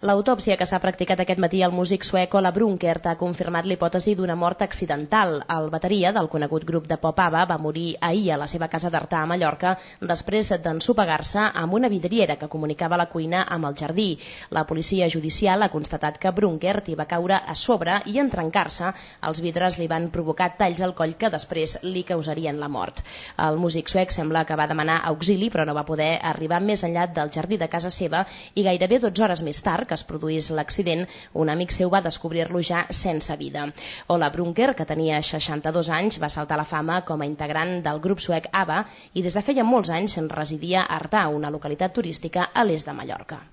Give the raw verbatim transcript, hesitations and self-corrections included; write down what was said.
L'autòpsia que s'ha practicat aquest matí al músic suec Ola Brunkert ha confirmat l'hipòtesi d'una mort accidental. El bateria del conegut grup de pop ABBA va morir ahir a la seva casa d'Artà a Mallorca després d'ensopegar-se amb una vidriera que comunicava la cuina amb el jardí. La policia judicial ha constatat que Brunkert hi va caure a sobre i en trencar-se els vidres li van provocar talls al coll que després li causarien la mort. El músic suec sembla que va demanar auxili però no va poder arribar més enllà del jardí de casa seva i gairebé dotze hores més tard que es produís l'accident, un amic seu va descobrir-lo ja sense vida. Ola Brunkert, que tenia seixanta-dos anys, va saltar a la fama com a integrant del grup suec ABBA i des de feia molts anys residia a Artà, una localitat turística a l'est de Mallorca.